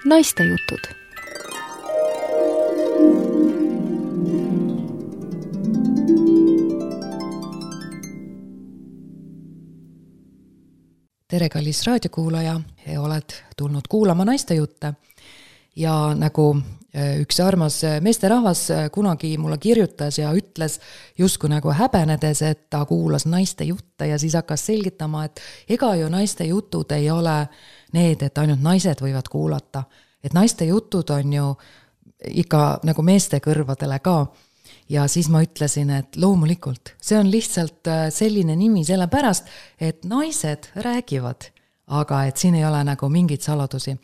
Naistejutud. Tere, kallis raadiokuulaja, oled tulnud kuulama naistejutte ja nagu üks armas meesterahvas kunagi mulle kirjutas ja ütles justkui nagu häbenedes, et ta kuulas naistejutte ja siis hakkas selgitama, et ega ju naistejutud ei ole need, et ainult naised võivad kuulata, et naistejutud on ju ikka nagu meeste kõrvadele ka. Ja siis ma ütlesin, et loomulikult, see on lihtsalt selline nimi sellepärast, et naised räägivad, aga et siin ei ole nagu mingit saladusi.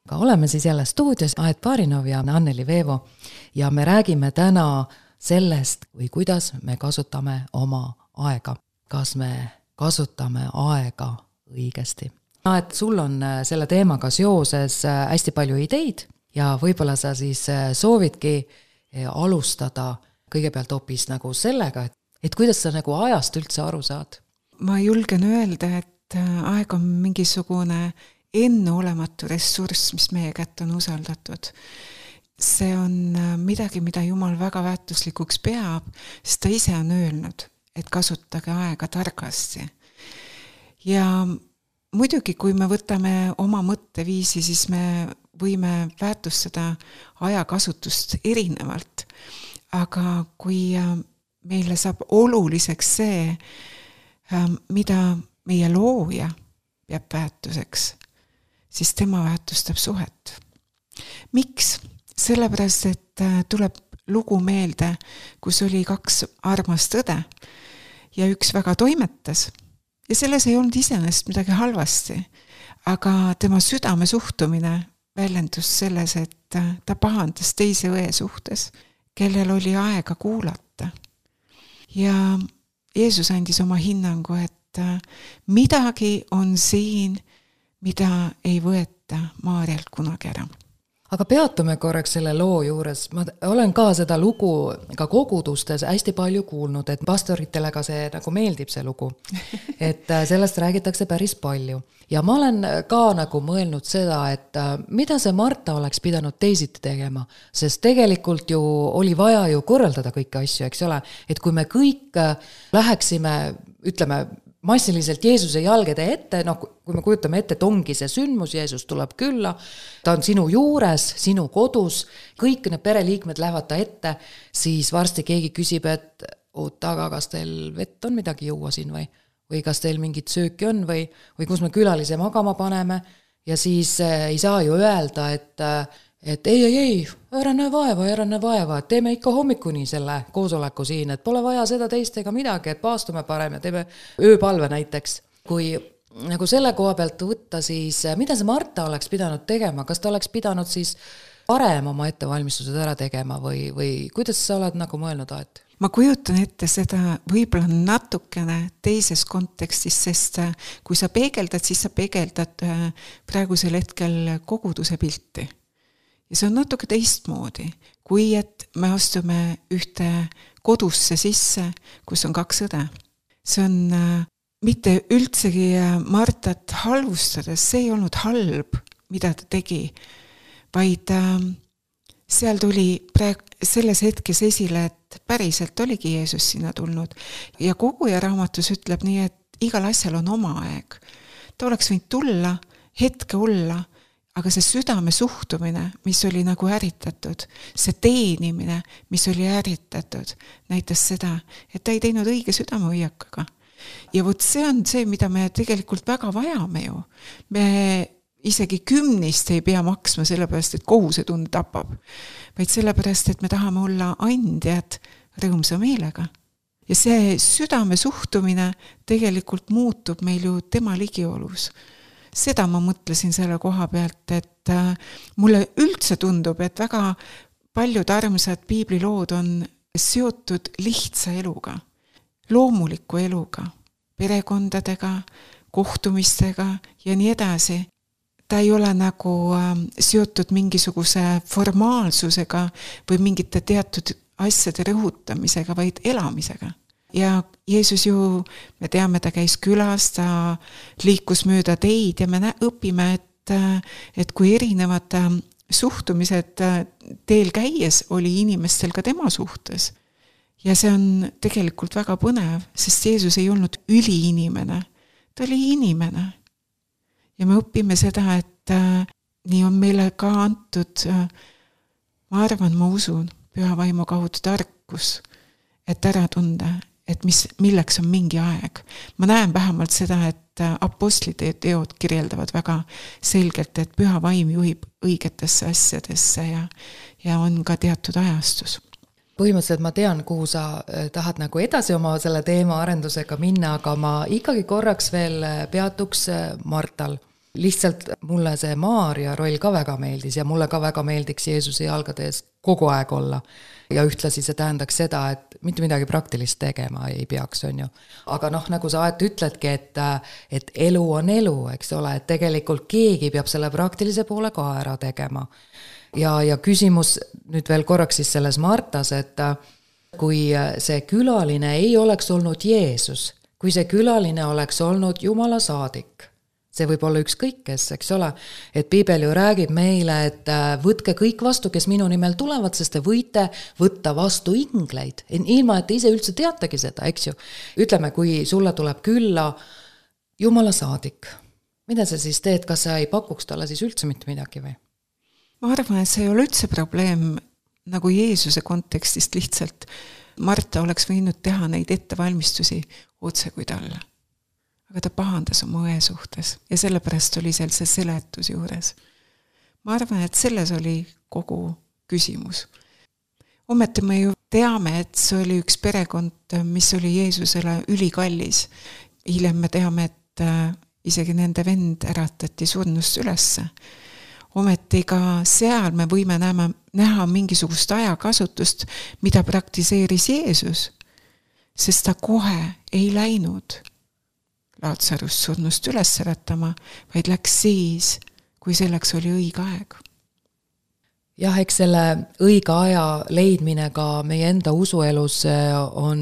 Aga oleme siis jälle stuudios Aet Barinov ja Anneli Veevo ja me räägime täna sellest, või kuidas me kasutame oma aega. Kas me kasutame aega õigesti? Aet, sul on selle teemaga seoses hästi palju ideid ja võib-olla sa siis soovidki alustada kõigepealt hoopis nagu sellega, et kuidas sa nagu ajast üldse aru saad? Ma julgen öelda, et aeg on mingisugune enneolematu ressurss, mis meie kätte on usaldatud. See on midagi, mida Jumal väga väärtuslikuks peab, sest ta ise on öelnud, et kasutage aega targasti. Ja muidugi, kui me võtame oma mõtteviisi, siis me võime väärtustada ajakasutust erinevalt. Aga kui meile saab oluliseks see, mida meie looja peab väärtuseks, siis tema väärtustab suhet. Miks? Sellepärast, et tuleb lugu meelde, kus oli 2 armast õde ja üks väga toimetas. Ja selles ei olnud iseenesest midagi halvasti, aga tema südame suhtumine väljendus selles, et ta pahandas teise õe suhtes, kellel oli aega kuulata. Ja Jeesus andis oma hinnangu, et midagi on siin, mida ei võeta Maarjalt kunagi ära. Aga peatume korraks selle loo juures. Ma olen ka seda lugu ka kogudustes hästi palju kuulnud, et pastoritele ka see nagu meeldib see lugu. Et sellest räägitakse päris palju. Ja ma olen ka nagu mõelnud seda, et mida see Marta oleks pidanud teisiti tegema, sest tegelikult ju oli vaja ju korraldada kõiki asju, eks ole, et kui me kõik läheksime, ütleme, massiliselt Jeesuse jalgede ette, kui me kujutame ette, et ongi see sündmus, Jeesus tuleb külla, ta on sinu juures, sinu kodus, kõik need pereliikmed lähevad ta ette, siis varsti keegi küsib, et aga kas teil vett on midagi juua siin või kas teil mingit sööki on või kus me külalise magama paneme ja siis ei saa ju öelda, et ei, ära näe vaeva, et teeme ikka hommikuni selle koosoleku siin, et pole vaja seda teist ega midagi, et paastume parem ja teeme ööpalve näiteks. Kui nagu selle koha pealt võtta, siis mida see Marta oleks pidanud tegema, kas ta oleks pidanud siis parem oma ettevalmistused ära tegema või kuidas sa oled nagu mõelnud, Aet? Ma kujutan ette seda võib-olla natukene teises kontekstis, sest kui sa peegeldad, siis sa peegeldad praegusel hetkel koguduse pilti. Ja see on natuke teistmoodi, kui et me astume ühte kodusse sisse, kus on 2 õde. See on mitte üldsegi Martat halvustades, see ei olnud halb, mida ta tegi, vaid seal tuli selles hetkes esile, et päriselt oligi Jeesus sinna tulnud. Ja Koguja raamatus ütleb nii, et igal asjal on oma aeg. Ta oleks võinud tulla, hetke olla, aga see südame suhtumine, mis oli nagu äritatud, see teenimine, mis oli äritatud, näitas seda, et ta ei teinud õige südamehoiakaga. Ja vot see on see, mida me tegelikult väga vajame ju. Me isegi 10 ei pea maksma sellepärast, et kohusetund tapab, vaid sellepärast, et me tahame olla andjad rõõmsa meelega. Ja see südame suhtumine tegelikult muutub meil ju tema ligiolus. Seda ma mõtlesin selle koha pealt, et mulle üldse tundub, et väga paljud armsad piiblilood on seotud lihtsa eluga, loomuliku eluga, perekondadega, kohtumistega ja nii edasi. Ta ei ole nagu seotud mingisuguse formaalsusega või mingite teatud asjade rõhutamisega, vaid elamisega. Ja Jeesus ju, me teame, ta käis külas, ta liikus mööda teid ja me õpime, et et kui erinevad suhtumised teel käies oli inimestel ka tema suhtes. Ja see on tegelikult väga põnev, sest Jeesus ei olnud üliinimene, ta oli inimene. Ja me õpime seda, et nii on meile ka antud, ma arvan, ma usun, püha vaimu kaudu tarkus, et ära tunda, et milleks on mingi aeg. Ma näen vähemalt seda, et apostlite teod kirjeldavad väga selgelt, et püha vaim juhib õigetesse asjadesse ja on ka teatud ajastus. Põhimõtteliselt ma tean, kuhu sa tahad nagu edasi oma selle teema arendusega minna, aga ma ikkagi korraks veel peatuks Martal. Lihtsalt mulle see Maarja roll ka väga meeldis ja mulle ka väga meeldiks Jeesuse jalgades kogu aeg olla. Ja ühtlasi see tähendaks seda, et mitte midagi praktilist tegema ei peaks, on ju. Aga nagu sa ütledki, et elu on elu, eks ole, et tegelikult keegi peab selle praktilise poole ka ära tegema. Ja küsimus nüüd veel korraks siis selles Martas, et kui see külaline ei oleks olnud Jeesus, kui see külaline oleks olnud Jumala saadik, see võib olla ükskõik kes, eks ole, et Piibel ju räägib meile, et võtke kõik vastu, kes minu nimel tulevad, sest te võite võtta vastu ingleid, ilma et te ise üldse teategi seda, eks ju. Ütleme, kui sulle tuleb külla Jumala saadik, mida sa siis teed, kas sa ei pakuks talle siis üldse mitte midagi või? Ma arvan, et see ei ole üldse probleem nagu Jeesuse kontekstist lihtsalt. Marta oleks võinud teha neid ettevalmistusi otse kui talle. Aga ta pahandas oma õe suhtes ja sellepärast oli seal see seletus juures. Ma arvan, et selles oli kogu küsimus. Ometi me ju teame, et see oli üks perekond, mis oli Jeesusele ülikallis. Hiljem me teame, et isegi nende vend äratati surnust ülesse. Ometi ka seal me võime näha mingisugust ajakasutust, mida praktiseeris Jeesus, sest ta kohe ei läinud Laatsarust surnust üles äratama, vaid läks siis, kui selleks oli õige aeg. Jah, eks selle õige aja leidmine ka meie enda usuelus on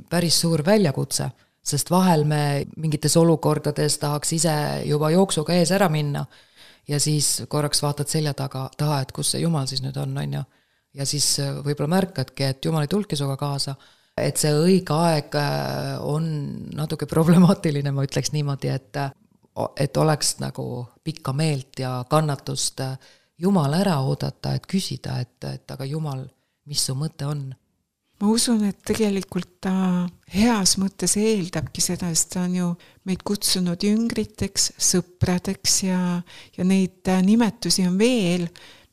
päris suur väljakutse, sest vahel me mingites olukordades tahaks ise juba jooksuga ees ära minna ja siis korraks vaatad selja taha, et kus see Jumal siis nüüd on ju. Ja siis võib-olla märkadki, et Jumal ei tulki suga kaasa. Et see õige aeg on natuke problemaatiline, ma ütleks niimoodi, et oleks nagu pikka meelt ja kannatust Jumal ära oodata, et küsida, et aga Jumal, mis su mõte on? Ma usun, et tegelikult ta heas mõttes eeldabki seda, sest ta on ju meid kutsunud jüngriteks, sõpradeks ja neid nimetusi on veel,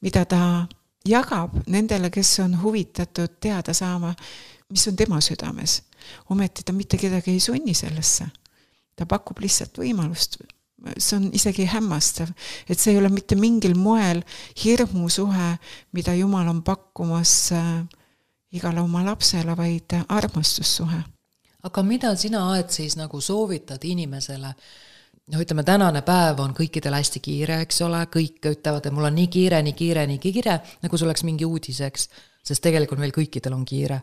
mida ta jagab nendele, kes on huvitatud teada saama, mis on tema südames. Ometi ta mitte kedagi ei sunni sellesse. Ta pakub lihtsalt võimalust. See on isegi hämmastav, et see ei ole mitte mingil moel hirmusuhe, mida Jumal on pakkumas igale oma lapsele, vaid armastussuhe. Aga mida sina aed siis nagu soovitad inimesele? Ütleme, tänane päev on kõikidel hästi kiire, eks ole, kõik ütlevad, et mul on nii kiire, nagu see oleks mingi uudiseks, sest tegelikult meil kõikidel on kiire.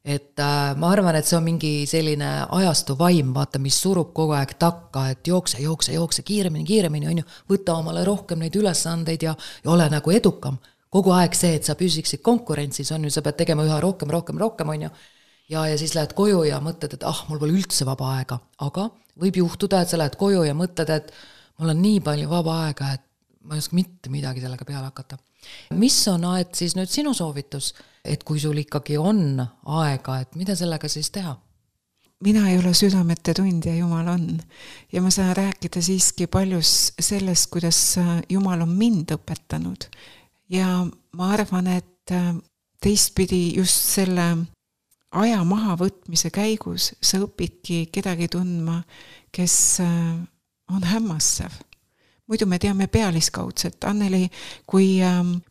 Et ma arvan, et see on mingi selline ajastu vaim, vaata, mis surub kogu aeg takka, et jookse, kiiremini, on ju, võta omale rohkem neid ülesandeid ja ole nagu edukam. Kogu aeg see, et sa püsiksid konkurentsis, on ju, sa pead tegema üha rohkem, on ju, ja siis lähed koju ja mõtled, et mul pole üldse vaba aega, aga võib juhtuda, et sa lähed koju ja mõtled, et mul on nii palju vaba aega, et ma ei oska mitte midagi sellega peale hakata. Mis on aed siis nüüd sinu soovitus, et kui sul ikkagi on aega, et mida sellega siis teha? Mina ei ole südamete tundja, Jumal on. Ja ma saan rääkida siiski paljus sellest, kuidas Jumal on mind õpetanud. Ja ma arvan, et teistpidi just selle aja mahavõtmise käigus sa õpidki kedagi tundma, kes on hämmastav. Muidu me teame pealiskaudset. Anneli, kui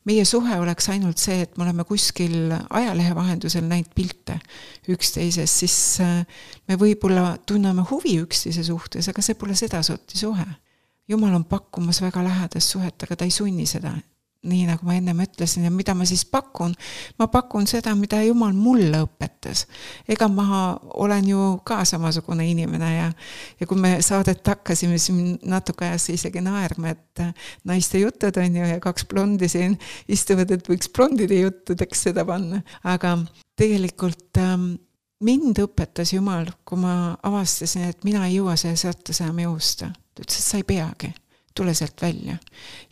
meie suhe oleks ainult see, et me oleme kuskil ajalehe vahendusel näinud pilte üksteises, siis me võib-olla tunneme huvi üksteise suhtes, aga see pole seda sorti suhe. Jumal on pakkumas väga lähedast suhet, aga ta ei sunni seda. nii nagu ma ennem ütlesin, ja mida ma siis pakun? Ma pakun seda, mida Jumal mulle õpetas. Ega ma olen ju ka samasugune inimene ja kui me saadet hakkasime, siis natuke ajas isegi naerma, et naiste jutud on ju ja 2 blondi siin istuvad, et võiks blondide juttudeks seda panna. Aga tegelikult mind õpetas Jumal, kui ma avastasin, et mina ei jõua selle sõtta enam jõusta. Ta ütles, et sa ei peagi. Tule sealt välja.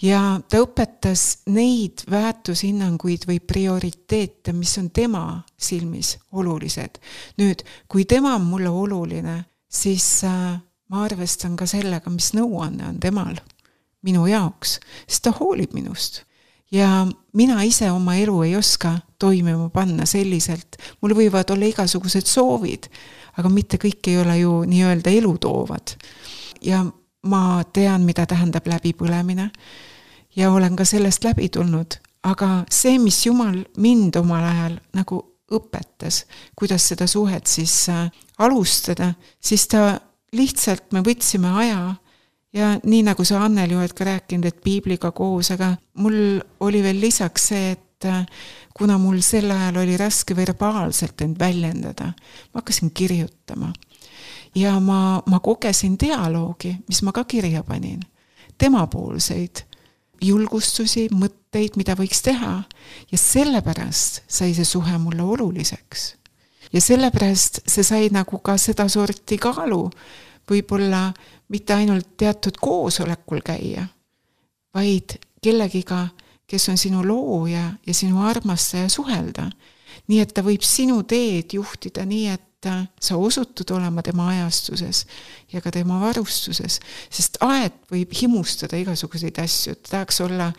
Ja ta õpetas neid väärtushinnanguid või prioriteete, mis on tema silmis olulised. Nüüd, kui tema on mulle oluline, siis ma arvestan ka sellega, mis nõuanne on temal minu jaoks, sest ta hoolib minust. Ja mina ise oma elu ei oska toimima panna selliselt. Mul võivad olla igasugused soovid, aga mitte kõik ei ole ju nii-öelda elu toovad. Ja ma tean, mida tähendab läbipõlemine ja olen ka sellest läbi tulnud, aga see, mis Jumal mind omal ajal nagu õpetas, kuidas seda suhet siis alustada, siis ta lihtsalt, me võtsime aja ja nii nagu sa Anneli oled ka rääkinud, et piibliga koos, aga mul oli veel lisaks see, et kuna mul sel ajal oli raske verbaalselt end väljendada, ma hakkasin kirjutama. Ja ma kogesin dialoogi, mis ma ka kirja panin. Temapoolseid julgustusi, mõtteid, mida võiks teha. Ja sellepärast sai see suhe mulle oluliseks. Ja sellepärast see sai nagu ka seda sorti kaalu, võib-olla mitte ainult teatud koosolekul käia, vaid kellegiga, kes on sinu looja ja sinu armastaja suhelda. Nii et ta võib sinu teed juhtida nii, et sa osutud olema tema ajastuses ja ka tema varustuses, sest aed võib himustada igasuguseid asju, tahaks olla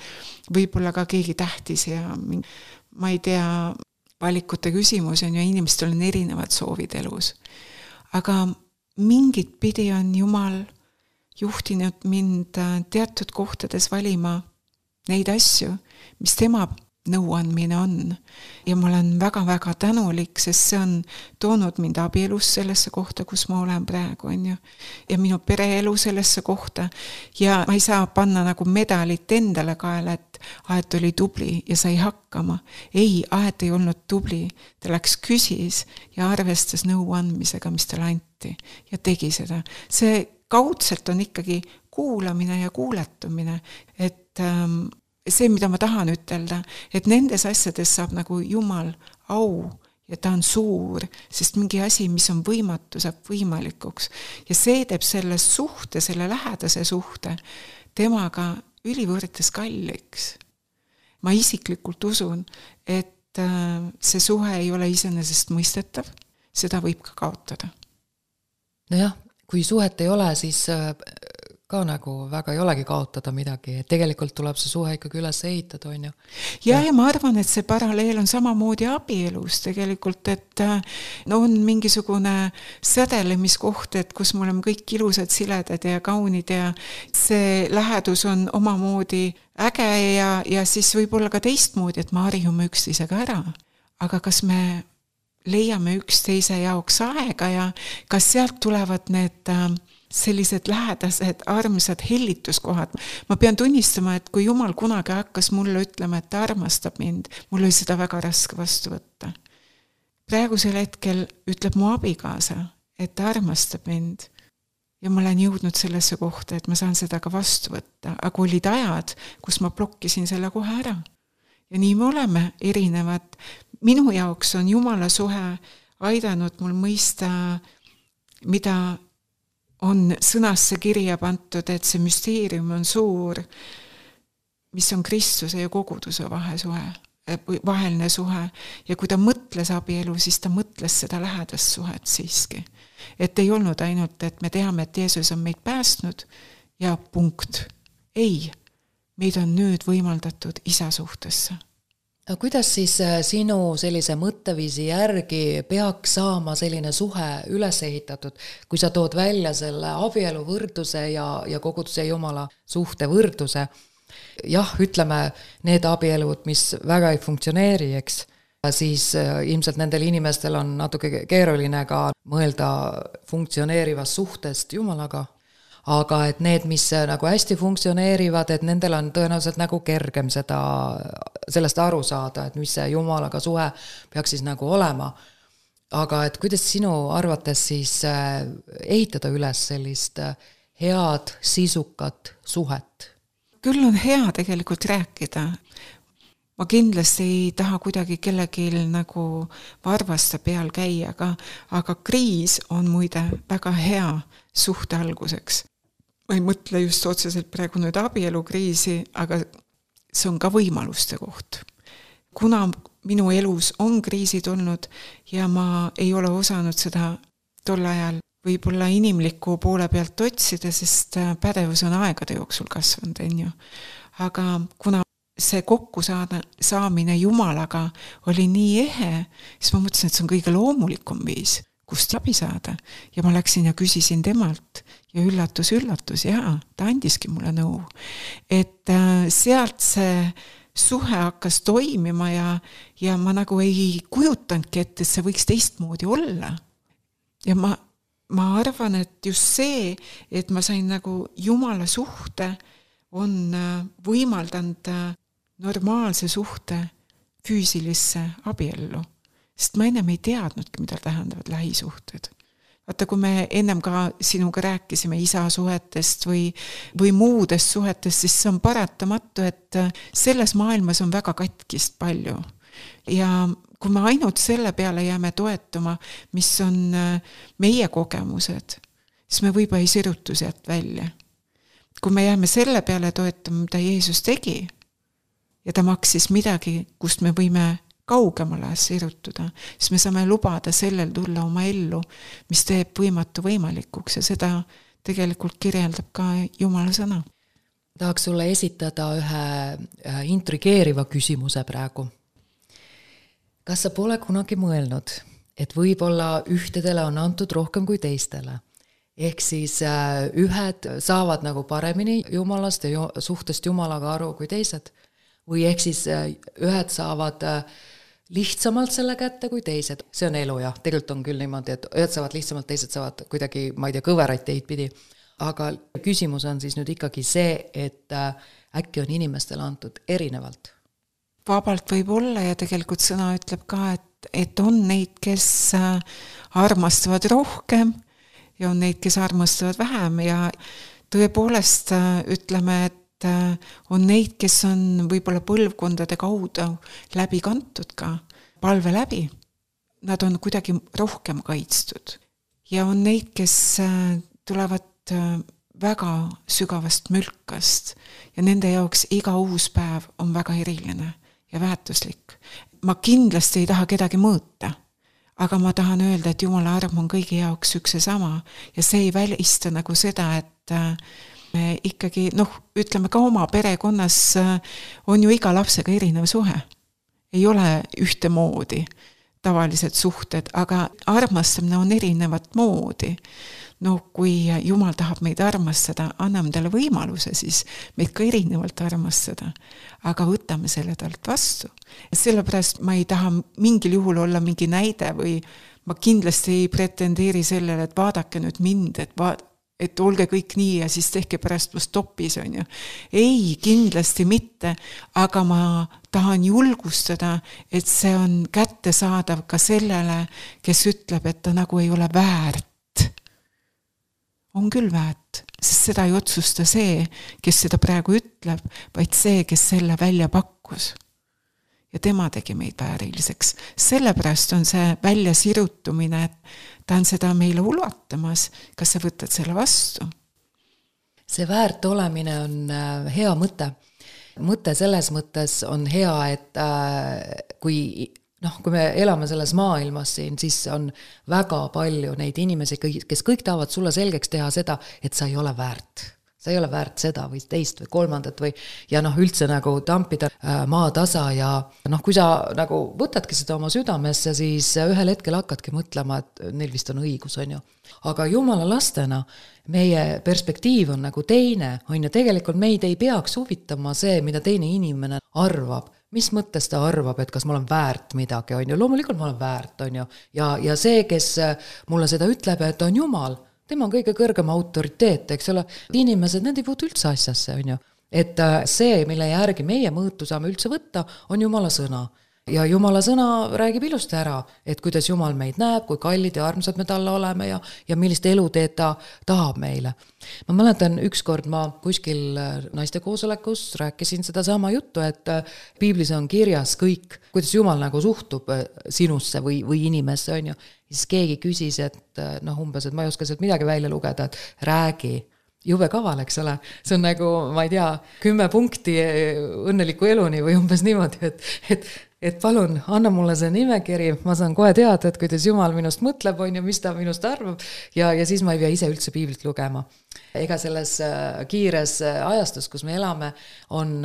võib-olla ka keegi tähtis ja ma ei tea, valikute küsimus on ja inimestel on erinevad soovid elus. Aga mingit pidi on Jumal juhtinud mind teatud kohtades valima neid asju, mis tema nõuandmine on. Ja ma olen väga-väga tänulik, sest see on toonud mind abielus sellesse kohta, kus ma olen praegu, on ju. Ja minu pereelu sellesse kohta. Ja ma ei saa panna nagu medalit endale kaela, et Aet oli tubli ja sai hakkama. Ei, Aet ei olnud tubli. Ta läks küsis ja arvestas nõuandmisega, mis talle anti. Ja tegi seda. See kaudselt on ikkagi kuulamine ja kuuletumine, et see, mida ma tahan ütelda, et nendes asjades saab nagu Jumal au ja ta on suur, sest mingi asi, mis on võimatu, saab võimalikuks. Ja see teeb selle suhte, selle lähedase suhte temaga ülivõrdes kalliks. Ma isiklikult usun, et see suhe ei ole iseenesest mõistetav, seda võib ka kaotada. Nojah, kui suhet ei ole, siis ka nagu väga ei olegi kaotada midagi, et tegelikult tuleb see suhe ikkagi üles ehitada, on ju. Ja ma arvan, et see paralleel on samamoodi abielus tegelikult, et on mingisugune sädelemiskoht, et kus me oleme kõik ilusad, siledad ja kaunid ja see lähedus on omamoodi äge ja siis võib olla ka teistmoodi, et me harjume üksteisega ära. Aga kas me leiame üksteise jaoks aega ja kas sealt tulevad need sellised lähedased, armsad hellituskohad. Ma pean tunnistama, et kui Jumal kunagi hakkas mulle ütlema, et ta armastab mind, mul oli seda väga raske vastu võtta. Praegusel hetkel ütleb mu abikaasa, et ta armastab mind ja ma olen jõudnud sellesse kohta, et ma saan seda ka vastu võtta, aga olid ajad, kus ma blokkisin selle kohe ära. Ja nii me oleme erinevad. Minu jaoks on Jumala suhe aidanud mul mõista, mida on sõnasse kirja pantud, et see müsteerium on suur, mis on Kristuse ja koguduse vaheline suhe. Ja kui ta mõtles abielu, siis ta mõtles seda lähedast suhet siiski. Et ei olnud ainult, et me teame, et Jeesus on meid päästnud ja punkt. Ei, meid on nüüd võimaldatud isa suhtesse. Aga kuidas siis sinu sellise mõtteviisi järgi peaks saama selline suhe üles ehitatud, kui sa tood välja selle abielu võrduse ja koguduse Jumala suhte võrduse? Jah, ütleme, need abielud, mis väga ei funktsioneeri, eks, siis ilmselt nendel inimestel on natuke keeruline ka mõelda funktsioneerivast suhtest Jumalaga. aga et need, mis nagu hästi funktsioneerivad, et nendel on tõenäoliselt nagu kergem sellest aru saada, et mis see Jumalaga suhe peaks siis nagu olema. Aga et kuidas sinu arvates siis ehitada üles sellist head, sisukat suhet? Küll on hea tegelikult rääkida. Ma kindlasti ei taha kuidagi kellelgi nagu varvasta peal käia, aga kriis on muide väga hea suhte alguseks. Ma ei mõtle just otseselt praegu nüüd abielukriisi, aga see on ka võimaluste koht. Kuna minu elus on kriisid olnud ja ma ei ole osanud seda tol ajal võib-olla inimliku poole pealt otsida, sest pädevus on aegade jooksul kasvanud, ju. Aga kuna see kokkusaamine Jumalaga oli nii ehe, siis ma mõtlesin, et see on kõige loomulikum viis, kust abi saada. Ja ma läksin ja küsisin temalt ja üllatus, jaa, ta andiski mulle nõu. Et sealt see suhe hakkas toimima ja ma nagu ei kujutanudki, et see võiks teistmoodi olla. Ja ma arvan, et just see, et ma sain nagu Jumala suhte, on võimaldanud normaalse suhte füüsilisse abiellu. Sest ma ennem ei teadnudki, mida tähendavad lähisuhted. Vaata, kui me ennem ka sinuga rääkisime isa suhetest või muudest suhetest, siis see on paratamatu, et selles maailmas on väga katkist palju. Ja kui me ainult selle peale jääme toetuma, mis on meie kogemused, siis me võib-olla ei sirutu sealt välja. Kui me jääme selle peale toetuma, mida Jeesus tegi, ja ta maksis midagi, kust me võime kaugemale sirutuda, siis me saame lubada sellel tulla oma ellu, mis teeb võimatu võimalikuks ja seda tegelikult kirjeldab ka Jumala sõna. Tahaks sulle esitada ühe intrigeeriva küsimuse praegu. Kas sa pole kunagi mõelnud, et võib-olla ühtedele on antud rohkem kui teistele? Ehk siis ühed saavad nagu paremini Jumalast ja suhtest Jumalaga aru kui teised? Või ehk siis ühed saavad lihtsamalt selle kätte kui teised? See on elu, jah. Tegelikult on küll niimoodi, et ühed saavad lihtsamalt, teised saavad kuidagi, ma ei tea, kõveraid teid pidi. Aga küsimus on siis nüüd ikkagi see, et äkki on inimestele antud erinevalt? Vabalt võib olla ja tegelikult sõna ütleb ka, et on neid, kes armastavad rohkem ja on neid, kes armastavad vähem ja tõepoolest ütleme, et on neid, kes on võib-olla põlvkondade kaudu läbi kantud ka palve läbi. Nad on kuidagi rohkem kaitstud. Ja on neid, kes tulevad väga sügavast mülkast ja nende jaoks iga uus päev on väga eriline ja väärtuslik. Ma kindlasti ei taha kedagi mõõta, aga ma tahan öelda, et Jumala arm on kõigi jaoks üks ja sama ja see ei välista nagu seda, et me ikkagi, ütleme ka oma perekonnas on ju iga lapsega erinev suhe. Ei ole ühtemoodi tavalised suhted, aga armastamine on erinevat moodi. Kui Jumal tahab meid armastada, anname talle võimaluse, siis meid ka erinevalt armastada. Aga võtame selle talt vastu. Sellepärast ma ei taha mingil juhul olla mingi näide või ma kindlasti ei pretendeeri sellele, et vaadake nüüd mind, et olge kõik nii ja siis tehke pärast plus topis, on ju. Ei, kindlasti mitte, aga ma tahan julgustada, et see on kättesaadav ka sellele, kes ütleb, et ta nagu ei ole väärt. On küll väärt, sest seda ei otsusta see, kes seda praegu ütleb, vaid see, kes selle välja pakkus. Ja tema tegi meid vääriliseks. Sellepärast on see välja sirutumine, et ta on seda meile ulatamas. Kas sa võtad selle vastu? See väärt olemine on hea mõte. Mõte selles mõttes on hea, et kui me elame selles maailmas siin, siis on väga palju neid inimesi, kes kõik tahavad sulle selgeks teha seda, et sa ei ole väärt. Sa ei ole väärt seda või teist või kolmandat või ja üldse nagu tampida maatasa ja kui sa nagu võtadki seda oma südamesse, siis ühel hetkel hakkadki mõtlema, et neil vist on õigus, on ju. Aga Jumala lastena meie perspektiiv on nagu teine, on ju, tegelikult meid ei peaks huvitama see, mida teine inimene arvab. Mis mõttes ta arvab, et kas ma olen väärt midagi, on ju, loomulikult ma olen väärt, on ju, ja see, kes mulle seda ütleb, et on Jumal, tema on kõige kõrgem autoriteet, eks ole, inimesed, need ei puutu üldse asjasse, on ju. Et see, mille järgi meie mõõtu saame üldse võtta, on Jumala sõna. Ja Jumala sõna räägib ilusti ära, et kuidas Jumal meid näeb, kui kallid ja armsad me talle oleme ja millist eluteed ta tahab meile. Ma mäletan, ükskord ma kuskil naiste koosolekus rääkisin seda sama juttu, et piiblis on kirjas kõik, kuidas Jumal nagu suhtub sinusse või inimesse, on ju. Siis keegi küsis, et umbes, et ma ei oska sealt midagi välja lugeda, et räägi. Jube kaval, eks ole. See on nagu, ma ei tea, 10 punkti õnneliku eluni või umbes niimoodi, et palun, anna mulle see nimekiri, ma saan kohe teada, et kuidas Jumal minust mõtleb, on ju, mis ta minust arvab ja siis ma ei pea ise üldse piiblit lugema. Ega selles kiires ajastus, kus me elame, on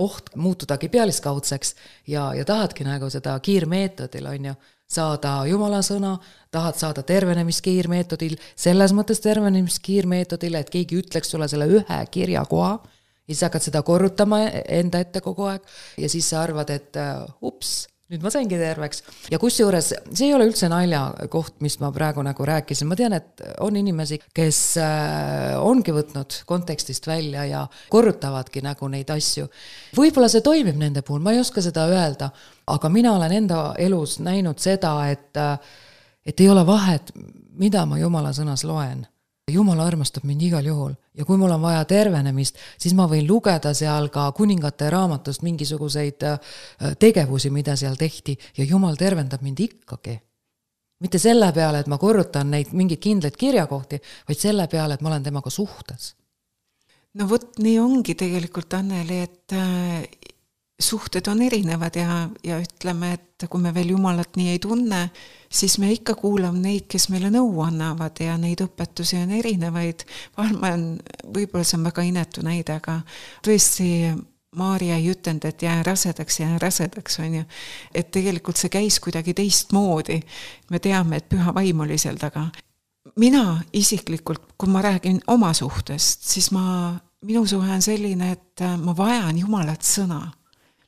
oht muutudagi pealiskaudseks ja tahadki nagu seda kiirmeetodil, on ju, saada Jumala sõna, tahad saada tervenemiskiirmeetodil, selles mõttes tervenemiskiirmeetodil, et keegi ütleks sulle selle ühe kirjakoha, ja siis hakkad seda korrutama enda ette kogu aeg ja siis sa arvad, et ups, nüüd ma saingi terveks. Ja kusjuures see ei ole üldse nalja koht, mis ma praegu nagu rääkisin. Ma tean, et on inimesi, kes ongi võtnud kontekstist välja ja korrutavadki nagu neid asju. Võib-olla see toimib nende puhul, ma ei oska seda öelda, aga mina olen enda elus näinud seda, et ei ole vahet, mida ma Jumala sõnas loen. Jumal armastab mind igal juhul ja kui mul on vaja tervenemist, siis ma võin lugeda seal ka kuningate raamatust mingisuguseid tegevusi, mida seal tehti ja Jumal tervendab mind ikkagi. Mitte selle peale, et ma korrutan neid mingeid kindlaid kirjakohti, vaid selle peale, et ma olen temaga suhtes. No vot, nii ongi tegelikult, Anneli, et suhted on erinevad ja ütleme, et kui me veel Jumalat nii ei tunne, siis me ikka kuulame neid, kes meile nõu annavad ja neid õpetusi on erinevaid. Võib-olla see on väga inetu näide, aga tõesti Maarja ei ütelnud, et jää rasedaks, on ju. Et tegelikult see käis kuidagi teistmoodi. Me teame, et püha vaim oli seal taga. Mina isiklikult, kui ma räägin oma suhtest, siis minu suhe on selline, et ma vajan Jumalat sõna.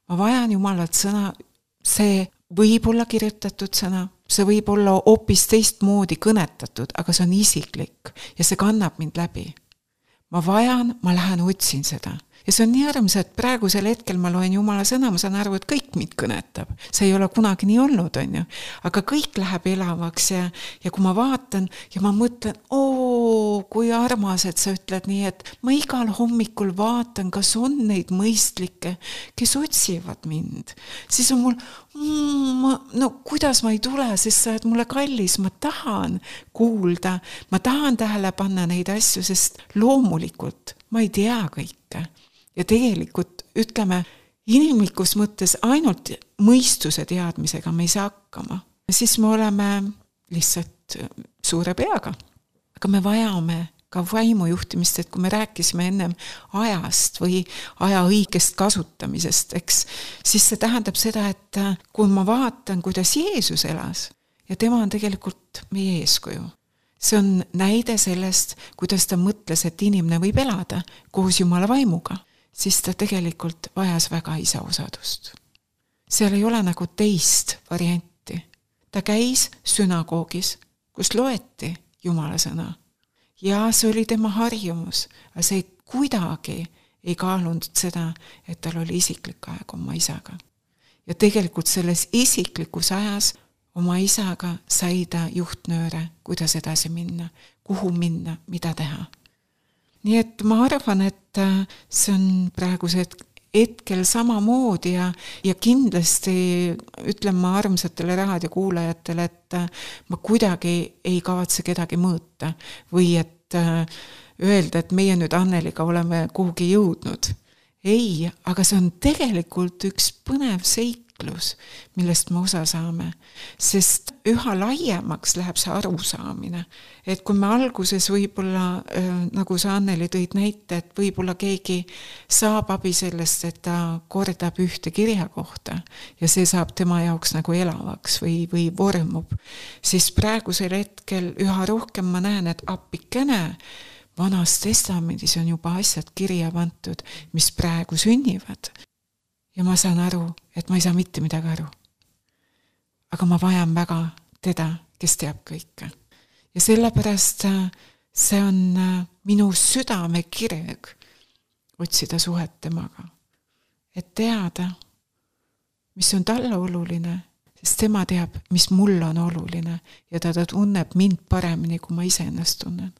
Ma vajan Jumalat sõna, see võib olla kirjutatud sõna, see võib olla hoopis teistmoodi kõnetatud, aga see on isiklik ja see kannab mind läbi. Ma lähen otsin seda. Ja see on nii armas, et praegusel hetkel ma loen Jumala sõna, ma saan aru, et kõik mind kõnetab. See ei ole kunagi nii olnud, on ju. Aga kõik läheb elavaks ja kui ma vaatan ja ma mõtlen, kui armas, et sa ütled nii, et ma igal hommikul vaatan, kas on neid mõistlikke, kes otsivad mind. Siis on mul, kuidas ma ei tule, sest sa oled mulle kallis, ma tahan kuulda, ma tahan tähele panna neid asju, sest loomulikult ma ei tea kõike. Ja tegelikult, ütleme, inimlikus mõttes ainult mõistuse teadmisega me ei saa hakkama. Siis me oleme lihtsalt suure peaga. Aga me vajame ka vaimujuhtimist, et kui me rääkisime ennem ajast või aja õigest kasutamisest, siis see tähendab seda, et kui ma vaatan, kuidas Jeesus elas, ja tema on tegelikult meie eeskuju. See on näide sellest, kuidas ta mõtles, et inimene võib elada koos Jumala vaimuga. Siis ta tegelikult vajas väga isa osadust. Seal ei ole nagu teist varianti. Ta käis sünagoogis, kus loeti Jumala sõna. Ja see oli tema harjumus, aga see kuidagi ei kaalunud seda, et tal oli isiklik aeg oma isaga. Ja tegelikult selles isiklikus ajas oma isaga sai ta juhtnööre, kuidas edasi minna, kuhu minna, mida teha. Nii et ma arvan, et see on praegused hetkel samamoodi ja kindlasti ütlen ma armsatele raadiokuulajatele, et ma kuidagi ei kavatse kedagi mõõta või et öelda, et meie nüüd Anneliga oleme kuhugi jõudnud. Ei, aga see on tegelikult üks põnev seiklus, millest me osa saame, sest üha laiemaks läheb see arusaamine. Et kui me alguses võib-olla, nagu sa Anneli tõid näite, et võib-olla keegi saab abi sellest, et ta kordab ühte kirja kohta ja see saab tema jaoks nagu elavaks või vormub, siis praegusel hetkel üha rohkem ma näen, et appikene Vanas testamendis on juba asjad kirja pandud, mis praegu sünnivad. Ja ma saan aru, et ma ei saa mitte midagi aru. Aga ma vajan väga teda, kes teab kõike. Ja sellepärast see on minu südame kireg otsida suhet temaga. Et teada, mis on talle oluline, sest tema teab, mis mul on oluline ja ta tunneb mind paremini, kui ma ise ennast tunnen.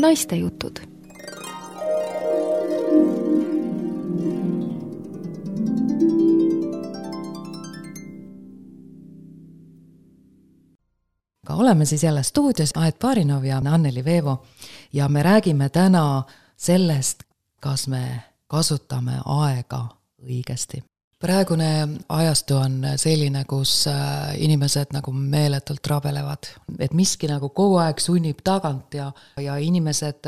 Naistejutud. aga oleme siis jälle stuudios, Aet Barinov ja Anneli Veevo ja me räägime täna sellest, kas me kasutame aega õigesti. Praegune ajastu on selline, kus inimesed nagu meeletult rabelevad, et miski nagu kogu aeg sunnib tagant ja inimesed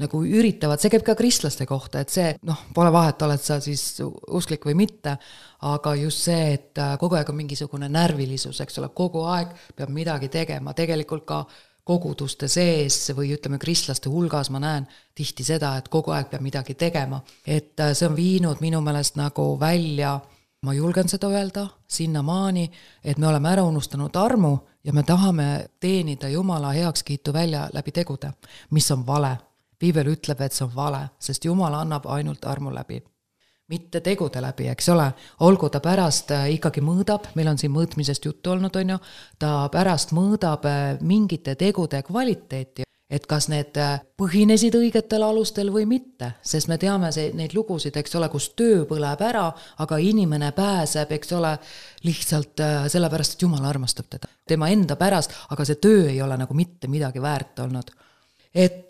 nagu üritavad, see käib ka kristlaste kohta, et see, pole vahet, oled sa siis usklik või mitte, aga just see, et kogu aeg on mingisugune närvilisus, eks ole, kogu aeg peab midagi tegema, tegelikult ka koguduste sees või ütleme kristlaste hulgas ma näen tihti seda, et kogu aeg peab midagi tegema. Et see on viinud minu meelest nagu välja, ma julgen seda öelda, sinnamaani, et me oleme ära unustanud armu ja me tahame teenida Jumala heakskiitu välja läbi tegude, mis on vale. Piibel ütleb, et see on vale, sest Jumal annab ainult armu läbi. Mitte tegude läbi, eks ole, olgu ta pärast ikkagi mõõdab, meil on siin mõõtmisest juttu olnud, on ju, ta pärast mõõdab mingite tegude kvaliteeti, et kas need põhinesid õigetel alustel või mitte, sest me teame neid lugusid, eks ole, kus töö põleb ära, aga inimene pääseb, eks ole, lihtsalt sellepärast, et Jumal armastab teda. Tema enda pärast, aga see töö ei ole nagu mitte midagi väärt olnud. Et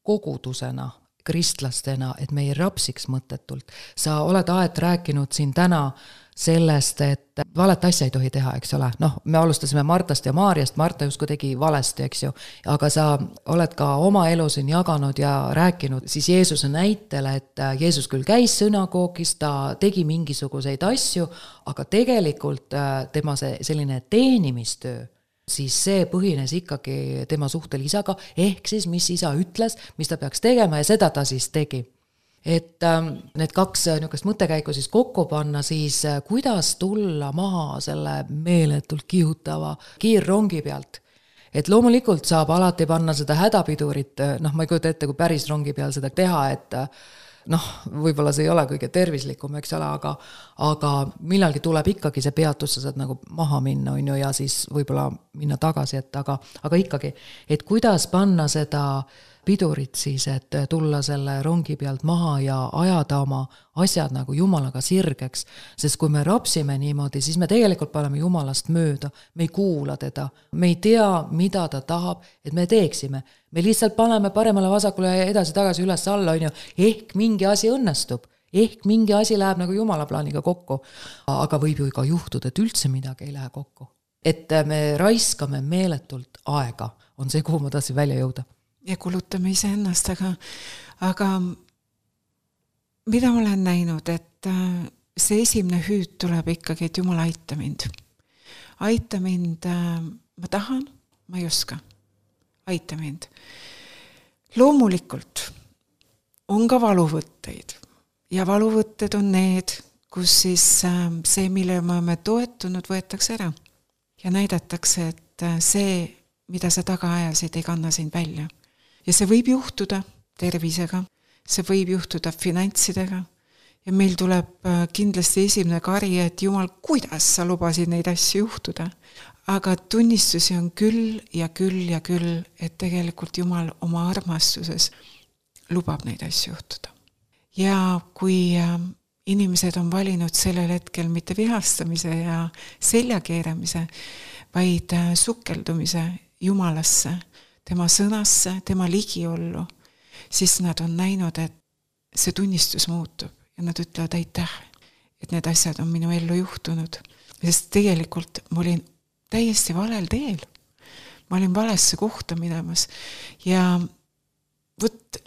kogudusena, kristlastena, et me ei rapsiks mõttetult. Sa oled Aet rääkinud siin täna sellest, et valet asja ei tohi teha, eks ole. Me alustasime Martast ja Maarjast, Marta justkui tegi valesti, eks ju, aga sa oled ka oma elu siin jaganud ja rääkinud siis Jeesuse näitele, et Jeesus küll käis sünagoogis, ta tegi mingisuguseid asju, aga tegelikult tema selline teenimistöö, siis see põhines ikkagi tema suhtel isaga, ehk siis mis isa ütles, mis ta peaks tegema ja seda ta siis tegi. Et need kaks niisugust mõttekäiku siis kokku panna, siis kuidas tulla maha selle meeletult kihutava kiirrongi pealt. Et loomulikult saab alati panna seda hädapidurit, ma ei kujuta ette, kui päris rongi peal seda teha, et võib-olla see ei ole kõige tervislikum, eks ole, aga millalgi tuleb ikkagi see peatus, sa saad nagu maha minna, on ju, ja siis võib-olla minna tagasi, aga ikkagi, et kuidas panna seda pidurit siis, et tulla selle rongi pealt maha ja ajada oma asjad nagu Jumalaga sirgeks, sest kui me rapsime niimoodi, siis me tegelikult paneme Jumalast mööda, me ei kuula teda, me ei tea, mida ta tahab, et me teeksime. Me lihtsalt paneme paremale vasakule ja edasi-tagasi üles alla, on ju, ehk mingi asi õnnestub, ehk mingi asi läheb nagu Jumala plaaniga kokku, aga võib ju ka juhtuda, et üldse midagi ei lähe kokku. Et me raiskame meeletult aega, on see, kuhu ma tahtsin välja jõuda. Ja kulutame ise ennast, aga mida ma olen näinud, et see esimene hüüd tuleb ikkagi, et Jumal aita mind. Aita mind, ma tahan, ma ei oska. Aita mind. Loomulikult on ka valuvõtteid ja valuvõtted on need, kus siis see, mille me oleme toetunud, võetakse ära ja näidatakse, et see, mida sa taga ajasid, ei kanna sind välja. Ja see võib juhtuda tervisega, see võib juhtuda finantsidega ja meil tuleb kindlasti esimene kari, et Jumal, kuidas sa lubasid neid asju juhtuda. Aga tunnistusi on küll ja küll ja küll, et tegelikult Jumal oma armastuses lubab neid asju juhtuda. Ja kui inimesed on valinud sellel hetkel mitte vihastamise ja seljakeeramise, vaid sukeldumise Jumalasse, tema sõnasse, tema ligiollu, siis nad on näinud, et see tunnistus muutub ja nad ütlevad aitäh, et need asjad on minu ellu juhtunud. Sest tegelikult ma olin täiesti valel teel. Ma olin valesse kohta minemas ja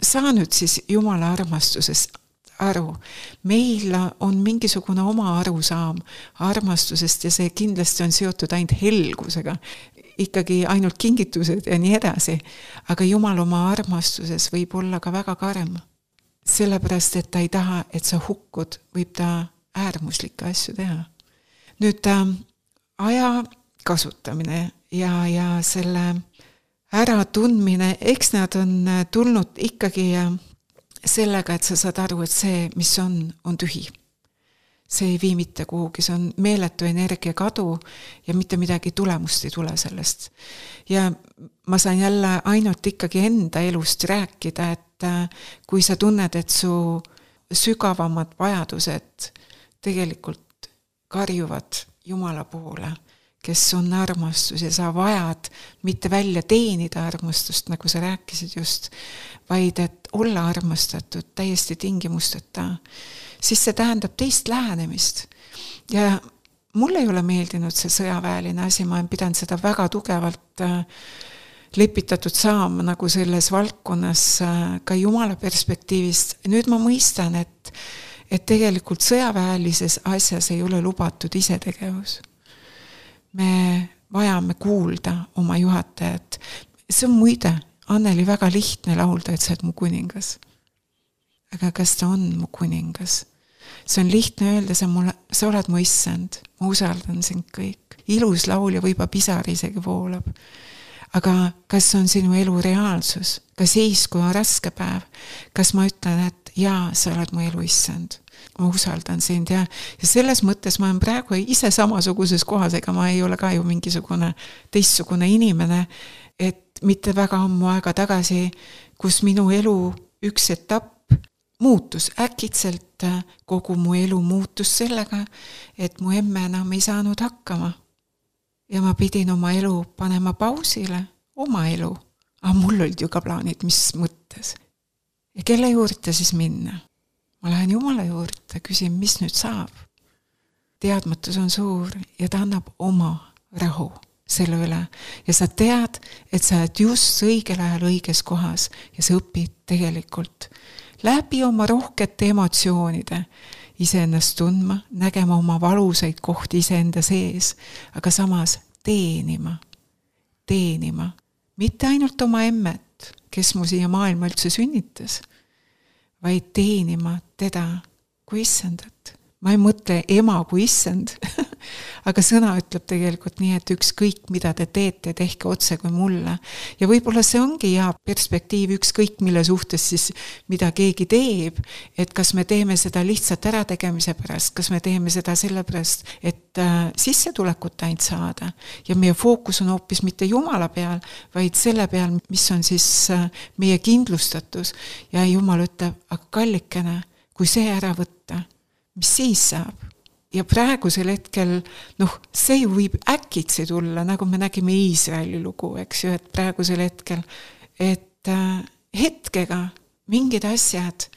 saa nüüd siis Jumala armastusest aru. Meil on mingisugune oma arusaam armastusest ja see kindlasti on seotud ainult helgusega. Ikkagi ainult kingitused ja nii edasi, aga Jumal oma armastuses võib olla ka väga karm. Sellepärast, et ta ei taha, et sa hukud, võib ta äärmuslikke asju teha. Nüüd aja kasutamine ja selle äratundmine, eks nad on tulnud ikkagi sellega, et sa saad aru, et see, mis on tühi. See ei vii mitte kuhugi, see on meeletu energia kadu ja mitte midagi tulemust ei tule sellest. Ja ma saan jälle ainult ikkagi enda elust rääkida, et kui sa tunned, et su sügavamad vajadused tegelikult karjuvad Jumala poole, kes on armastus ja sa vajad mitte välja teenida armastust, nagu sa rääkisid just, vaid et olla armastatud täiesti tingimusteta, siis see tähendab teist lähenemist. Ja mul ei ole meeldinud see sõjaväeline asi, ma olen pidanud seda väga tugevalt lepitatud saama nagu selles valdkonnas ka Jumala perspektiivist. Nüüd ma mõistan, et tegelikult sõjaväelises asjas ei ole lubatud isetegevus. Me vajame kuulda oma juhatajat. See on muide, Anneli, väga lihtne laulda, et sa oled mu kuningas. Aga kas ta on mu kuningas? See on lihtne öelda, sa oled mu issand, ma usaldan sind kõik. Ilus laul ja võiba pisar isegi voolab. Aga kas on sinu elu reaalsus? Ka siis, kui on raske päev? Kas ma ütlen, et jaa, sa oled mu elu issand? Ma usaldan sind ja selles mõttes ma olen praegu ise samasuguses kohas, ega ma ei ole ka ju mingisugune teistsugune inimene, et mitte väga ammu aega tagasi, kus minu elu üks etapp muutus äkitselt, kogu mu elu muutus sellega, et mu emme enam ei saanud hakkama. Ja ma pidin oma elu panema pausile, oma elu. Aga mul olid ju ka plaanid, mis mõttes. Ja kelle juurde siis minna? Ma lähen Jumala juurde, küsin, mis nüüd saab. Teadmatus on suur ja ta annab oma rahu selle üle. Ja sa tead, et sa oled just õigel ajal õiges kohas ja sa õpid tegelikult läbi oma rohkete emotsioonide iseennast tundma, nägema oma valusaid kohti iseenda sees, aga samas teenima. Mitte ainult oma emmet, kes mu siia maailma üldse sünnitas, vaid teenima teda kui issandat. Ma ei mõtle ema kui issand, aga sõna ütleb tegelikult nii, et ükskõik mida te teete, tehke otse kui mulle. Ja võib-olla see ongi hea perspektiiv ükskõik mille suhtes siis, mida keegi teeb, et kas me teeme seda lihtsalt ärategemise pärast, kas me teeme seda sellepärast, et sissetulekut ainult saada. Ja meie fookus on hoopis mitte Jumala peal, vaid selle peal, mis on siis meie kindlustatus. Ja Jumal ütleb, aga kallikene, kui see ära võtta, mis siis saab? Ja praegusel hetkel, see ju võib äkitsi tulla, nagu me nägime Iisraeli lugu, eks ju, et praegusel hetkel, et hetkega mingid asjad,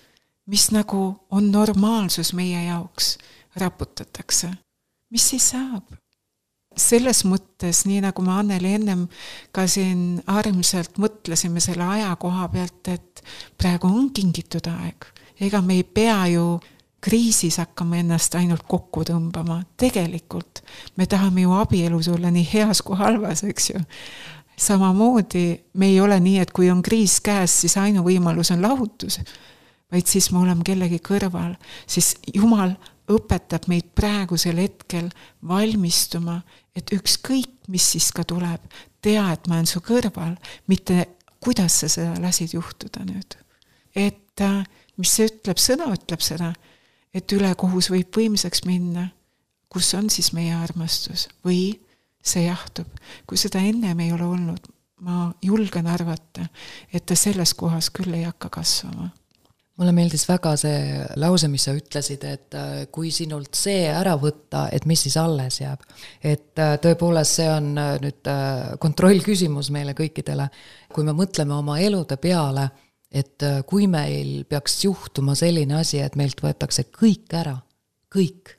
mis nagu on normaalsus meie jaoks, raputatakse. Mis siis saab? Selles mõttes, nii nagu me Anneli ennem ka siin armsalt mõtlesime selle aja koha pealt, et praegu on kingitud aeg. Ega me ei pea ju kriisis hakkame ennast ainult kokku tõmbama. Tegelikult me tahame ju abielus olla nii heas kui halvas, eks ju. Samamoodi me ei ole nii, et kui on kriis käes, siis ainuvõimalus on lahutus, vaid siis me oleme kellegi kõrval. Siis Jumal õpetab meid praegusel hetkel valmistuma, et ükskõik, mis siis ka tuleb, tea, et ma olen su kõrval, mitte kuidas sa seda lasid juhtuda nüüd. Et mis see ütleb, sõna ütleb seda, et ülekohus võib võimsaks minna, kus on siis meie armastus või see jahtub. Kui seda ennem ei ole olnud, ma julgen arvata, et ta selles kohas küll ei hakka kasvama. Mulle meeldis väga see lause, mis sa ütlesid, et kui sinult see ära võtta, et mis siis alles jääb. Et tõepoolest see on nüüd kontroll küsimus meile kõikidele. Kui me mõtleme oma elude peale, et kui meil peaks juhtuma selline asi, et meilt võetakse kõik ära, kõik.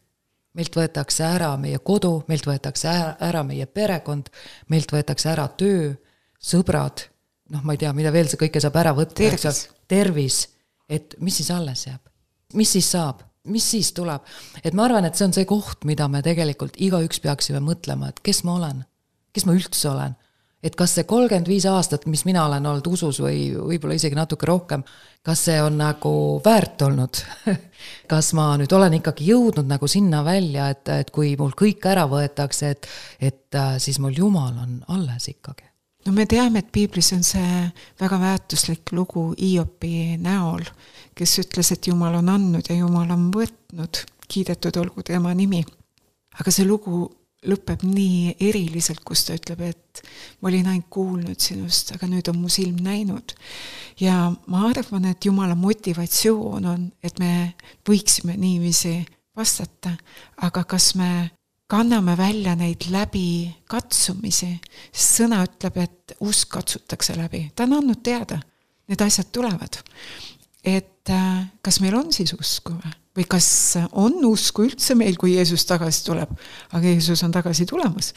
Meilt võetakse ära meie kodu, meilt võetakse ära meie perekond, meilt võetakse ära töö, sõbrad, ma ei tea, mida veel see kõike saab ära võtta. Tervis, et mis siis alles jääb? Mis siis saab? Mis siis tuleb? Et ma arvan, et see on see koht, mida me tegelikult igaüks peaksime mõtlema, et kes ma olen? Kes ma üldse olen? Et kas see 35 aastat, mis mina olen olnud usus või võib-olla isegi natuke rohkem, kas see on nagu väärt olnud? Kas ma nüüd olen ikkagi jõudnud nagu sinna välja, et kui mul kõik ära võetakse, et siis mul Jumal on alles ikkagi? No me teame, et Piiblis on see väga väärtuslik lugu Hiopi näol, kes ütles, et Jumal on andnud ja Jumal on võtnud, kiidetud olgu tema nimi. Aga see lugu lõpeb nii eriliselt, kus ta ütleb, et ma olin ainult kuulnud sinust, aga nüüd on mu silm näinud. Ja ma arvan, et Jumala motivatsioon on, et me võiksime niiviisi vastata, aga kas me kanname välja neid läbi katsumisi, sest sõna ütleb, et usk katsutakse läbi. Ta on andnud teada, need asjad tulevad. Et kas meil on siis usku või kas on usku üldse meil, kui Jeesus tagasi tuleb, aga Jeesus on tagasi tulemas.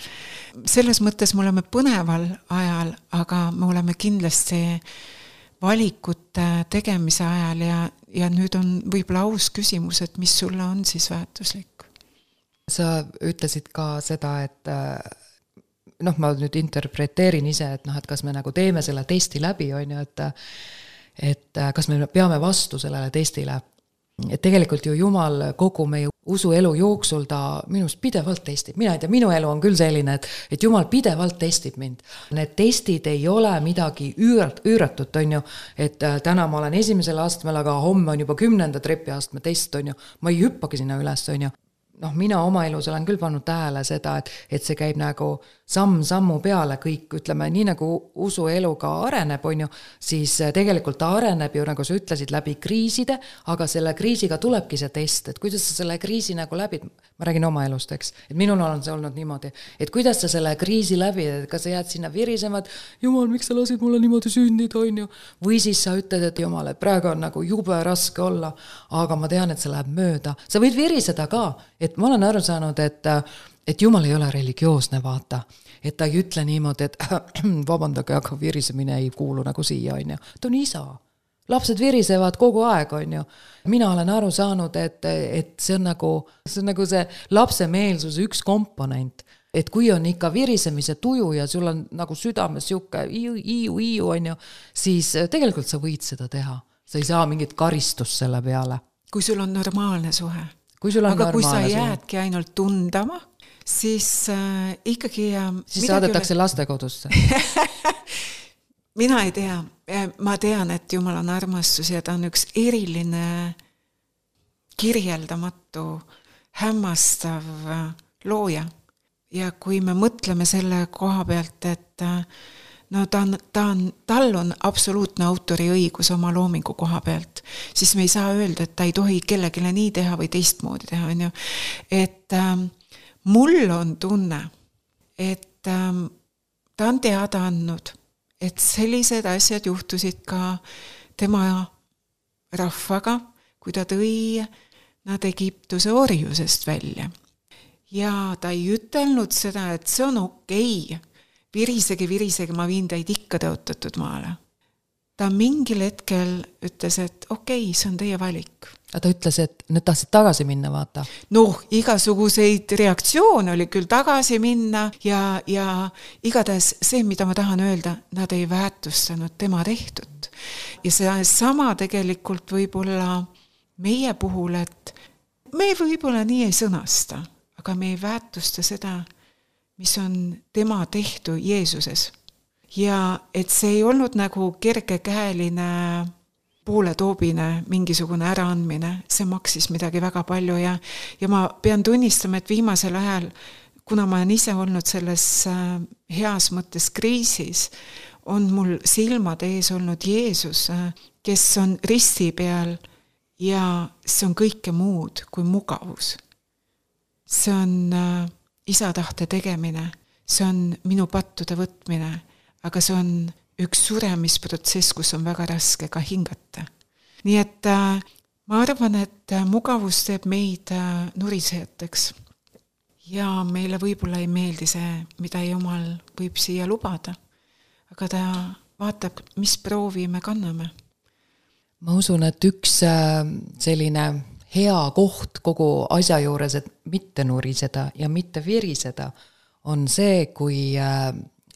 Selles mõttes me oleme põneval ajal, aga me oleme kindlasti valikute tegemise ajal ja nüüd on võib-olla aus küsimus, et mis sulle on siis väärtuslik? Sa ütlesid ka seda, et ma nüüd interpreteerin ise, et et kas me nagu teeme selle testi läbi, on ju, et kas me peame vastu sellele testile. Et tegelikult ju Jumal kogu meie usuelu jooksul ta minust pidevalt testib. Mina ei tea, minu elu on küll selline, et Jumal pidevalt testib mind. Need testid ei ole midagi üüratut, on ju, et täna ma olen 1. astmel, aga homme on juba 10. trepiastme test, on ju. Ma ei hüppagi sinna üles, on ju. Mina oma elus olen küll pannud tähele seda, et see käib nagu sammu peale kõik, ütleme, nii nagu usuelu ka areneb, on ju, siis tegelikult ta areneb ju, nagu sa ütlesid, läbi kriiside, aga selle kriisiga tulebki see test, et kuidas sa selle kriisi nagu läbid, ma räägin oma elust, eks, et minul on see olnud niimoodi, et kuidas sa selle kriisi läbi, kas sa jääd sinna virisemad, Jumal, miks sa lasid mulle niimoodi sündida, on ju, või siis sa ütled, et Jumal, et praegu on nagu jube raske olla, aga ma tean, et see läheb mööda. Sa võid viriseda ka, et ma olen aru saanud, et Jumal ei ole religioosne, vaata. Et ta ei ütle niimoodi, et vabandage, aga virisemine ei kuulu nagu siia, on ju. Ta on isa. Lapsed virisevad kogu aeg, on ju. Mina olen aru saanud, et see on nagu see lapsemeelsuse üks komponent. Et kui on ikka virisemise tuju ja sul on nagu südames siuke iiu, on ju, siis tegelikult sa võid seda teha. Sa ei saa mingit karistust selle peale. Kui sul on normaalne suhe. Aga kui sa jäädki ainult tundama, siis ikkagi... Siis saadetakse lastekodusse. Mina ei tea. Ma tean, et Jumal on armastus ja ta on üks eriline, kirjeldamatu, hämmastav looja. Ja kui me mõtleme selle koha pealt, et tal on absoluutne autoriõigus oma loomingu koha pealt, siis me ei saa öelda, et ta ei tohi kellegile nii teha või teistmoodi teha, on ju. Et mul on tunne, et ta on teada andnud, et sellised asjad juhtusid ka tema rahvaga, kui ta tõi nad Egiptuse orjusest välja. Ja ta ei ütelnud seda, et see on okei. Virisegi, ma viin teid ikka tõotatud maale. Ta mingil hetkel ütles, et okei, see on teie valik. Ta ütles, et nüüd tahtsid tagasi minna, vaata. Igasuguseid reaktsioone oli küll tagasi minna ja igatahes see, mida ma tahan öelda, nad ei väärtustanud tema tehtud. Ja see sama tegelikult võib-olla meie puhul, et me võib-olla nii ei sõnasta, aga me ei väärtusta seda, mis on tema tehtu Jeesuses. Ja et see ei olnud nagu kergekäeline pooletoobine mingisugune äraandmine, see maksis midagi väga palju ja ma pean tunnistama, et viimasel ajal, kuna ma olen ise olnud selles heas mõttes kriisis, on mul silmad ees olnud Jeesus, kes on risti peal ja see on kõike muud kui mugavus. See on isa tahte tegemine, see on minu pattude võtmine, aga see on üks suremisprotsess, kus on väga raske ka hingata. Nii et ma arvan, et mugavus teeb meid nurisejateks ja meile võib-olla ei meeldi see, mida Jumal võib siia lubada, aga ta vaatab, mis proovi me kanname. Ma usun, et üks selline hea koht kogu asja juures, et mitte nuriseda ja mitte viriseda, on see, kui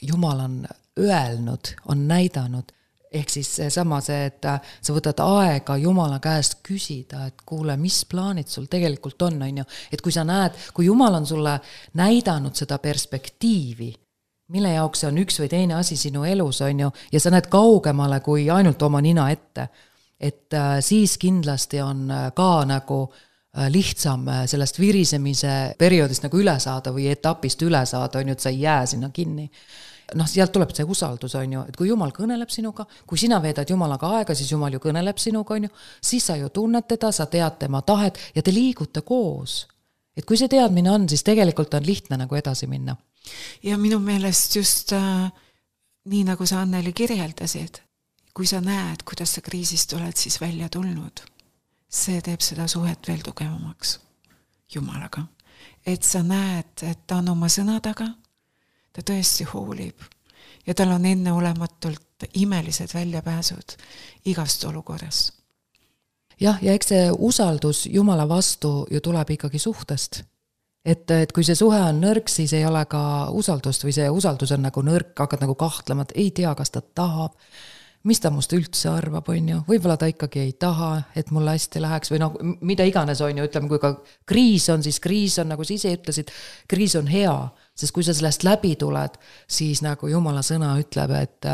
Jumal on öelnud, on näidanud, ehk siis seesama see, et sa võtad aega Jumala käest küsida, et kuule, mis plaanid sul tegelikult on, on ju, et kui sa näed, kui Jumal on sulle näidanud seda perspektiivi, mille jaoks see on üks või teine asi sinu elus, on ju, ja sa näed kaugemale kui ainult oma nina ette, et siis kindlasti on ka nagu lihtsam sellest virisemise perioodist nagu üle saada või etapist üle saada, on ju, et sa ei jää sinna kinni. Sealt tuleb see usaldus, on ju, et kui Jumal kõneleb sinuga, kui sina veedad Jumalaga aega, siis Jumal ju kõneleb sinuga, on ju, siis sa ju tunned teda, sa tead tema tahet ja te liigute koos. et kui see teadmine on, siis tegelikult on lihtne nagu edasi minna. Ja minu meelest just nii nagu sa Anneli kirjeldasid, kui sa näed, kuidas sa kriisist oled siis välja tulnud, see teeb seda suhet veel tugevamaks Jumalaga. Et sa näed, et ta on oma sõna taga, ta tõesti hoolib ja tal on enneolematult imelised väljapääsud igast olukorras. Jah, ja eks see usaldus Jumala vastu ju tuleb ikkagi suhtest. Et kui see suhe on nõrk, siis ei ole ka usaldust või see usaldus on nagu nõrk, hakkad nagu kahtlema, et ei tea, kas ta tahab, mis ta must üldse arvab, on ju, võib-olla ta ikkagi ei taha, et mulle hästi läheks või noh, mida iganes on ju, ütleme, kui ka kriis on, siis kriis on, nagu sa ise ütlesid, kriis on hea, sest kui sa sellest läbi tuled, siis nagu Jumala sõna ütleb, et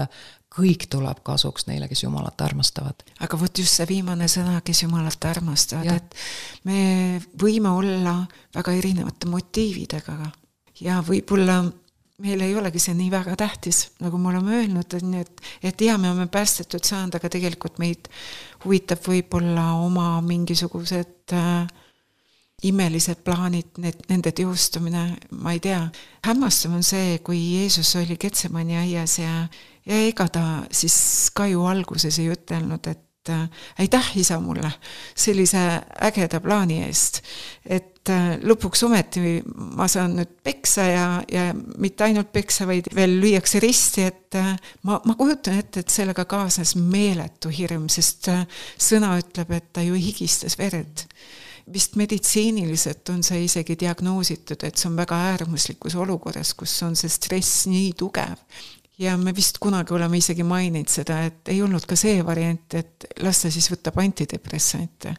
kõik tuleb kasuks neile, kes Jumalat armastavad. Aga võt just see viimane sõna, kes Jumalat armastavad, et me võime olla väga erinevate motiividega ja võib-olla meil ei olegi see nii väga tähtis, nagu me oleme öelnud, et ja me oleme päästetud saanud, aga tegelikult meid huvitab võib-olla oma mingisugused imelised plaanid, nende teostumine, ma ei tea. Hämmastav on see, kui Jeesus oli Getsemani aias ja ega ta siis ka ju alguses ei ütelnud, et aitäh isa mulle sellise ägeda plaani eest, et lõpuks ometi ma saan nüüd peksa ja mitte ainult peksa, vaid veel lüüakse risti, et ma kujutan ette, et sellega kaasnes meeletu hirm, sest sõna ütleb, et ta ju higistas verd. Vist meditsiiniliselt on see isegi diagnoositud, et see on väga äärmuslikus olukorras, kus on see stress nii tugev. Ja me vist kunagi oleme isegi maininud seda, et ei olnud ka see variant, et lasta siis võtab antidepressante.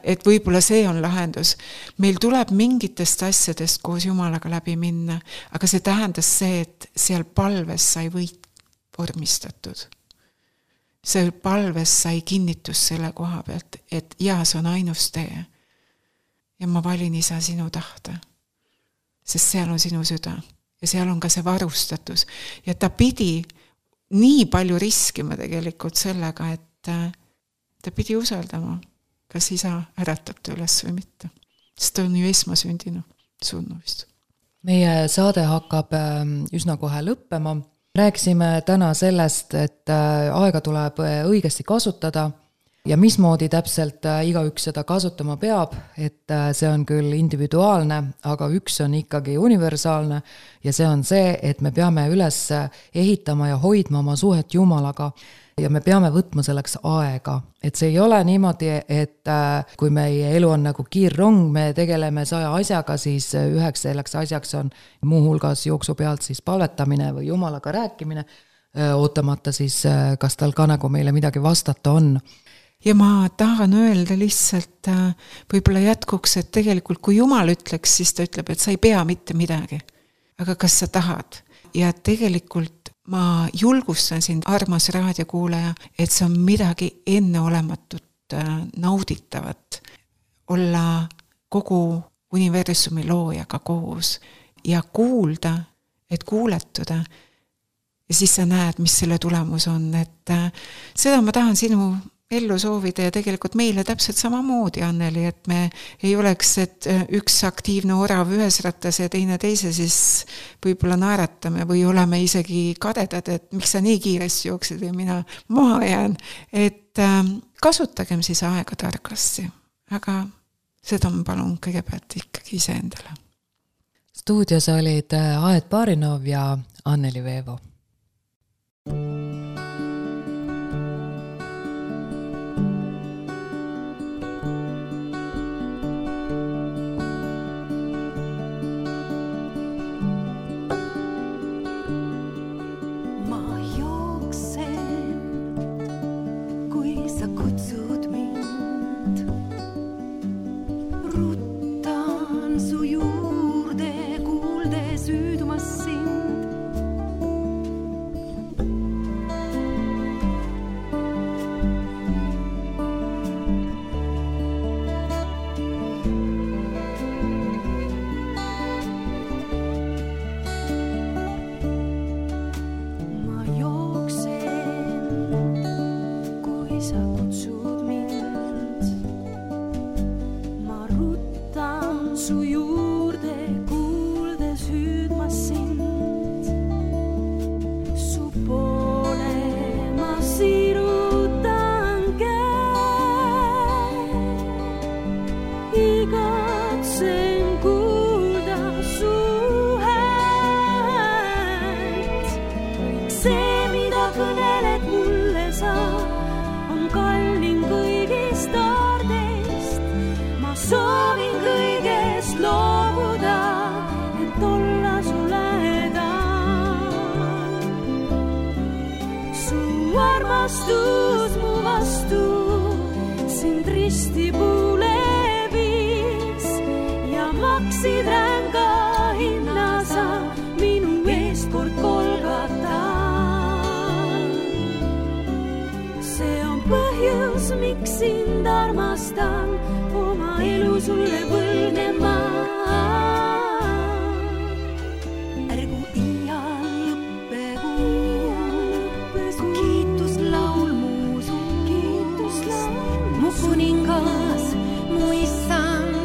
Et võib-olla see on lahendus. Meil tuleb mingitest asjadest koos Jumalaga läbi minna, aga see tähendas see, et seal palves sai võit vormistatud. Seal palves sai kinnitus selle koha pealt, et ja, see on ainus tee. Ja ma valin isa sinu tahte, sest seal on sinu süda. Ja seal on ka see varustatus. Ja ta pidi nii palju riskima tegelikult sellega, et ta pidi usaldama, kas isa äratab ta üles või mitte. Sest ta on ju esmasündinu surnu vist. Meie saade hakkab üsna kohe lõppema. Rääkisime täna sellest, et aega tuleb õigesti kasutada ja mismoodi täpselt igaüks seda kasutama peab, et see on küll individuaalne, aga üks on ikkagi universaalne ja see on see, et me peame üles ehitama ja hoidma oma suhet Jumalaga ja me peame võtma selleks aega. Et see ei ole niimoodi, et kui meie elu on nagu kiirrong, me tegeleme 100 asjaga, siis üheks selleks asjaks on muuhulgas jooksu pealt siis palvetamine või Jumalaga rääkimine, ootamata siis, kas tal ka nagu meile midagi vastata on. Ja ma tahan öelda lihtsalt võib-olla jätkuks, et tegelikult kui Jumal ütleks, siis ta ütleb, et sa ei pea mitte midagi. Aga kas sa tahad? Ja tegelikult ma julgustan sind, armas raadiokuulaja, et see on midagi enneolematut nauditavat. Olla kogu universumi loojaga koos ja kuulda, et kuuletuda. Ja siis sa näed, mis selle tulemus on. Et seda ma tahan sinu ellu soovida ja tegelikult meile täpselt samamoodi, Anneli, et me ei oleks, et üks aktiivne orav ühes rattas ja teine teise, siis võib-olla naeratame või oleme isegi kadedad, et miks sa nii kiiresti jooksed ja mina maha jään. Et kasutagem siis aega targasti, aga seda ma palun kõigepealt ikkagi ise endale. Stuudios olid Aet Barinov ja Anneli Veevo. Su ristipuule viis ja maksid ränga hinna sa minu eest kord Golgata. See on põhjus, miks sind armastan, oma elu sulle võlgnema. Ärgu iial lõppe, su kiituslaul mu suust. Mu kuningas, mu issand,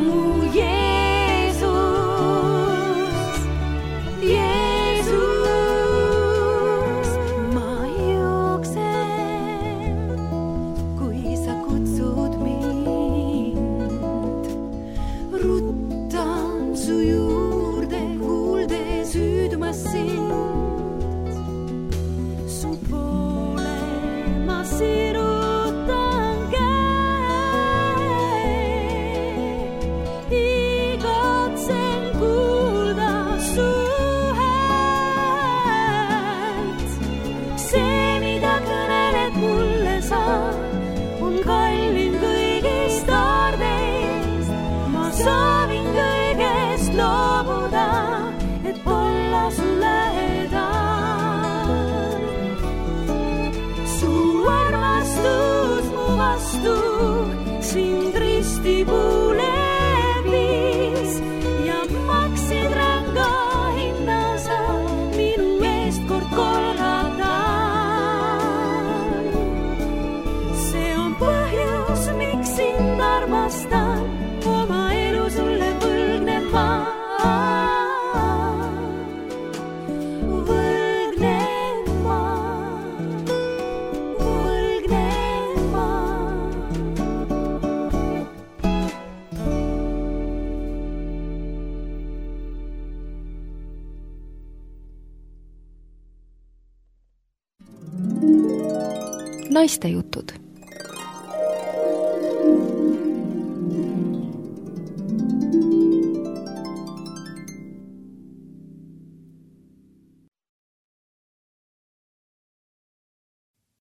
mu Jeesus. Jeesus, ma jooksen, kui sa kutsud mind. Ruttan su juurde, kuuldes hüüdmas sind. Su poole ma sirutan käe. Igatsen kuulda su häält. See, mida kõneled mulle sa, on kallim kõigist aardest. Ma soovin kõigest loobuda, et olla su lähedal. Su armastus mu vastu sind ristipuule viis ja maksid ränga hinna sa minu eest kord Golgatal. See on põhjus, miks sind armastan, oma elu sulle võlgnen ma. Võlgnen ma, võlgnen ma. Naistejutud.